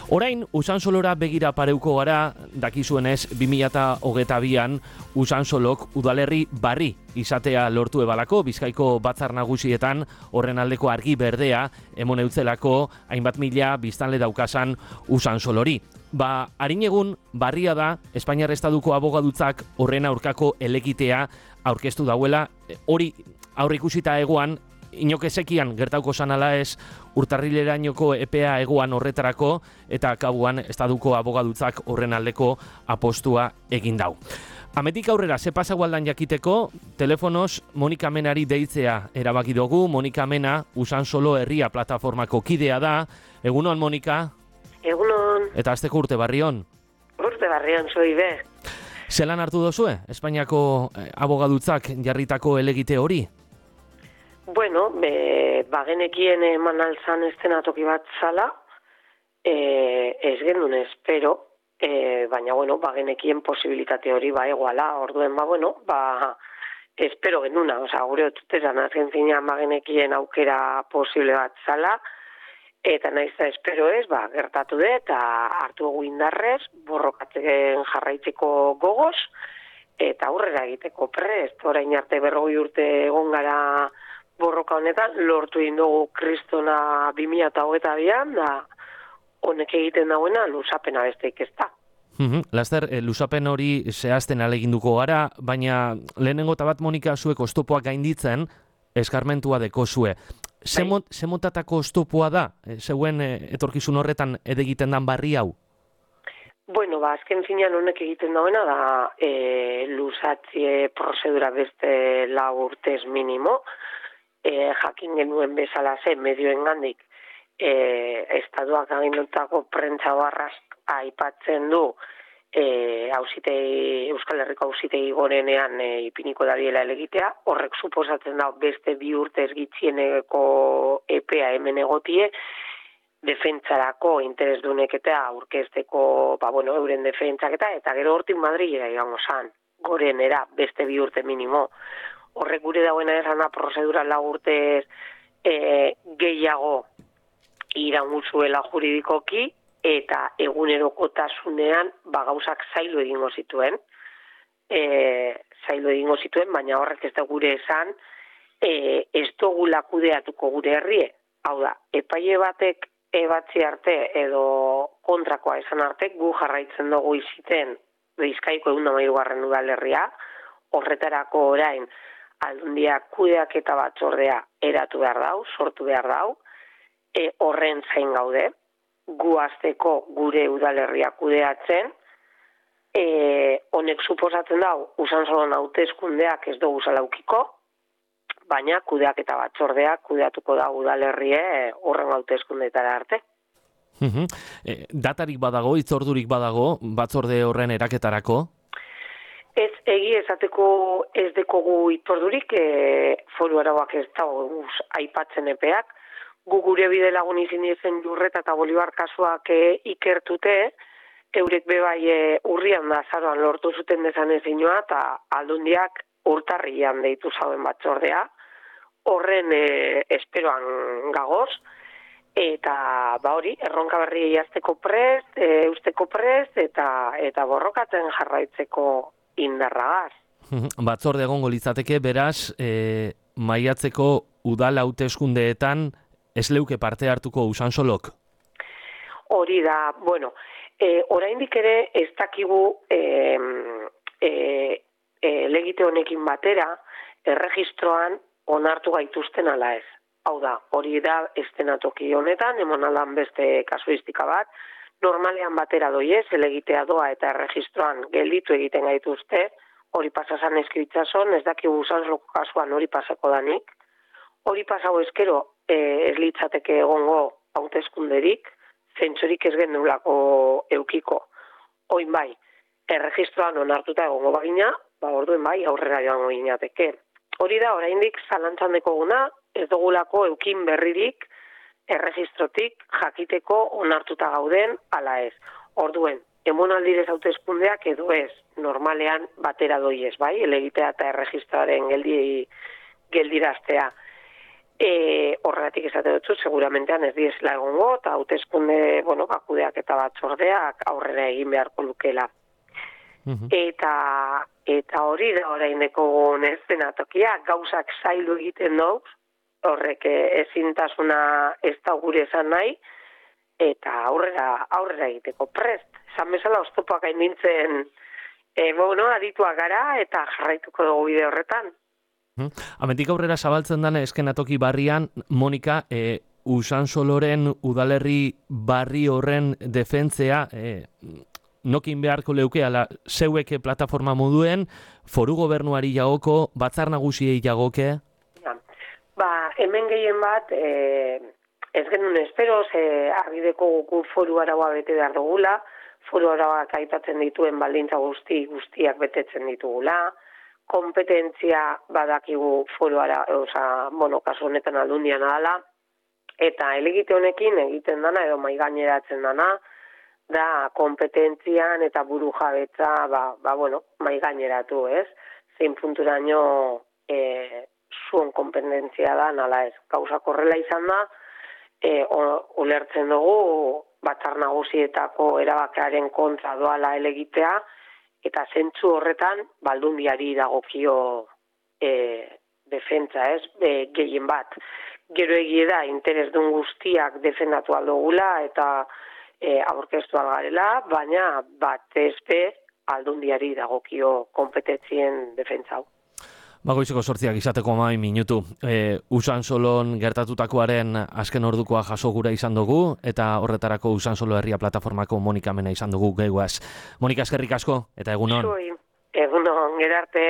Orain, Usansolora begira pareuko gara, dakizuenez 2022an Usansolok udalerri barri izatea lortu ebalako, Bizkaiko batzar nagusietan horren aldeko argi berdea emon eutzelako hainbat mila biztanle daukasan Usansolori. Harin egun barria da Espainiar Estaduko abogadutzak horren aurkako elegitea aurkeztu dauela, hori aurreikusita egoan, inokesekian gertauko sanala ez urtarrilerainoko epea egoan horretarako eta kabuan Estaduko abogadutzak horren aldeko apostua egin dau. Ametik aurrera, ze pasa gualdan jakiteko, telefonoz Monika Menari deitzea erabaki dugu. Monika Mena, Usansolo herria plataformako kidea da. Egunon, Monika? Egunon. Eta azteko urte barrion? Urte barrion, zoi be. Zelan hartu dozue, Espainiako abogadutzak jarritako elegite hori? Bueno, bagenekien eman alzan estenatoki bat zala, ez gendun espero, baina, bueno, bagenekien posibilitate hori egoala, orduen, espero genuna, gure otutezan azken finean bagenekien aukera posible bat zala, eta naiz da espero ez, gertatu dut, eta hartu egu indarrez, borrokatzen jarraitzeko gogoz, eta aurrera egiteko prest, orain arte 40 urte egon gara borroka honetan, lortu indugu kristona 2022an, da honek egiten dauena luzapena besteik ez da. Laster, luzapen hori zehazten aleginduko gara, baina lehenengo eta bat, Monika, zuek oztopoak gainditzen, eskarmentua deko zue. Zemotatako oztopoa da, zeuen etorkizun horretan edegiten dan barri hau? Bueno, azken finean honek egiten dauena da luzatzie prozedura beste 4 urtez minimo, jakin genuen bezala zen medioen gandik, Estaduak agindutako prentza barraz aipatzen du Euskal Herriko auzitegi gorenean ipiniko dabiela elegitea, horrek suposatzen da beste 2 urtez gitxieneko epea hemen egotie, defentsarako interesdunek eta aurkezteko, euren defentsak eta gero hortik Madrilera igango zan, gorenera beste 2 urte minimo. Horrek gure dauena esana prozedura 4 urtez gehiago iraunguzuela juridikoki eta egunerokotasunean gauzak zailu egingo zituen. Baina horrek ez da gure esan ez dugula kudeatuko gure herrie. Hau da, epaile batek ebatzi arte edo kontrakoa esan arte gu jarraitzen dugu iziten Bizkaiko 113. udalerria, horretarako orain Aldundiak kudeaketa batzordea eratu behar dau, sortu behar dau, horren zain gaude, gu hasteko gure udalerria kudeatzen, honek suposatzen dau, Usansolon hauteskundeak ez dugu zalaukiko, baina kudeaketa batzordea kudeatuko da udalerrie horren hauteskundeetara arte. Datarik badago, hitzordurik badago, batzorde horren eraketarako? Ez egi esateko ez dekogu itzordurik, foru arauak ez dago aipatzen epeak. Gu gure bide lagun izin dizen Jurreta eta Bolibar kasuak ikertute, eurek bebai urrian da azaroan lortu zuten desan ezinoa eta Aldundiak urtarrian deitu zauen batzordea. Horren esperoan gagoz, eta hori, erronka berri jazteko prest, eusteko prest, eta borrokatzen jarraitzeko indarragaz. Batzorde egongo litzateke, beraz, maiatzeko udal hauteskundeetan ez leuke parte hartuko Usansolok? Hori da, oraindik ere ez dakigu legite honekin batera, erregistroan onartu gaituzten ala ez. Hau da, hori da estenatoki honetan, emonalan beste kasuistika bat, normalean batera doiez, elegitea doa eta erregistroan gelditu egiten gaituzte, hori pasasan eskibitzason, ez dakigu Usansoloko kasuan hori pasako danik, hori pasau eskero ez litzateke egongo hauteskunderik, zentsorik ez gendulako eukiko. Oin bai, erregistroan onartuta egongo bagina, orduen bai, aurrera joango ginateke. Hori da, oraindik zalantzan dekoguna, ez dugulako eukin berririk, erregistrotik jakiteko onartuta gauden ala ez. Orduen, emonaldirez hauteskundeak edo ez, normalean batera doiez, bai, elegitea eta erregistroaren geldiraztea. Horregatik esate dutzu, seguramentean ez diesela egongo, eta hauteskunde, kudeak eta batzordeak aurrera egin beharko lukela. Eta hori da oraineko eszenatokia, gauzak zaildu egiten dau, horrek ezintasuna ez da gure esan nahi, eta aurrera egiteko prest. Esan bezala oztopoak hain nintzen, adituak gara eta jarraituko dugu bide horretan. Hemendik aurrera zabaltzen dana eskenatoki barrian, Monika, Usansoloren udalerri barri horren defentzea, nokin beharko leuke, ala zeueke plataforma moduen, foru gobernuari jagoko, batzar nagusiei jagoke? Hemen gehien bat, ez genuen espero, argideko guku foru araua bete behar dugula, foru arauak aipatzen dituen baldintza guztiak betetzen ditugula, kompetentzia badakigu foru kasu honetan aldundian adala, eta elegite honekin egiten dana edo maigaineratzen dana, da kompetentzian eta buru jabetza maigaineratu, ez? Zein punturaino zuen kompetentzia da, nala ez. Gauzak horrela izan da, ulertzen dugu batzar nagusietako erabakiaren kontra doala elegitea, eta zentzu horretan baldundiari dagokio defentsa, ez? Gehien bat. Gero egie da, interesdun guztiak defendatu aldogula eta aurkeztu algarela, baina batezpe aldundiari dagokio kompetentzien defentzau. Goizeko 8 izateko 12 minutu. Usansolon gertatutakoaren azken ordukoa jaso gura izan dugu, eta horretarako Usansolo Herria Plataformako Monika Mena izan dugu geguaz. Monika, eskerrik asko, eta egunon. Egunon, gerarte.